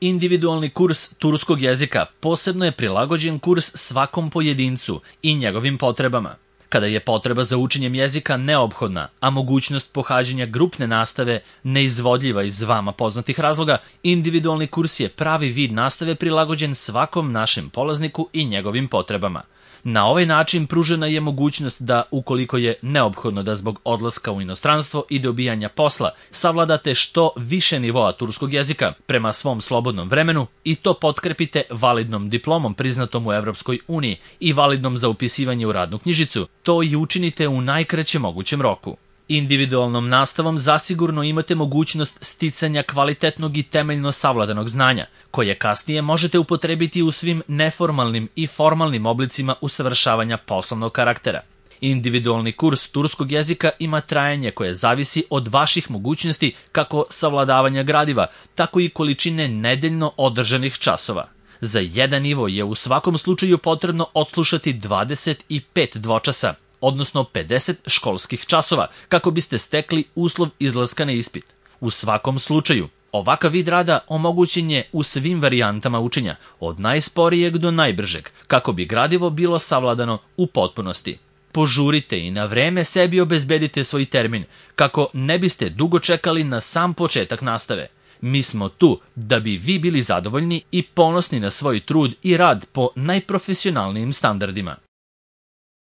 Individualni kurs turskog jezika posebno je prilagođen kurs svakom pojedincu i njegovim potrebama. Kada je potreba za učenjem jezika neophodna, a mogućnost pohađanja grupne nastave neizvodljiva iz vama poznatih razloga, individualni kurs je pravi vid nastave prilagođen svakom našem polazniku i njegovim potrebama. Na ovaj način pružena je mogućnost da, ukoliko je neophodno da zbog odlaska u inostranstvo i dobijanja posla, savladate što više nivoa turskog jezika prema svom slobodnom vremenu i to potkrepite validnom diplomom priznatom u Evropskoj uniji i validnom za upisivanje u radnu knjižicu, to i učinite u najkraćem mogućem roku. Individualnom nastavom zasigurno imate mogućnost sticanja kvalitetnog i temeljno savladanog znanja, koje kasnije možete upotrebiti u svim neformalnim i formalnim oblicima usavršavanja poslovnog karaktera. Individualni kurs turskog jezika ima trajanje koje zavisi od vaših mogućnosti kako savladavanja gradiva, tako i količine nedeljno održanih časova. Za jedan nivo je u svakom slučaju potrebno odslušati 25 dvočasa, odnosno 50 školskih časova, kako biste stekli uslov izlaska na ispit. U svakom slučaju, ovakav vid rada omogućen je u svim varijantama učenja, od najsporijeg do najbržeg, kako bi gradivo bilo savladano u potpunosti. Požurite i na vreme sebi obezbedite svoj termin, kako ne biste dugo čekali na sam početak nastave. Mi smo tu da bi vi bili zadovoljni i ponosni na svoj trud i rad po najprofesionalnijim standardima.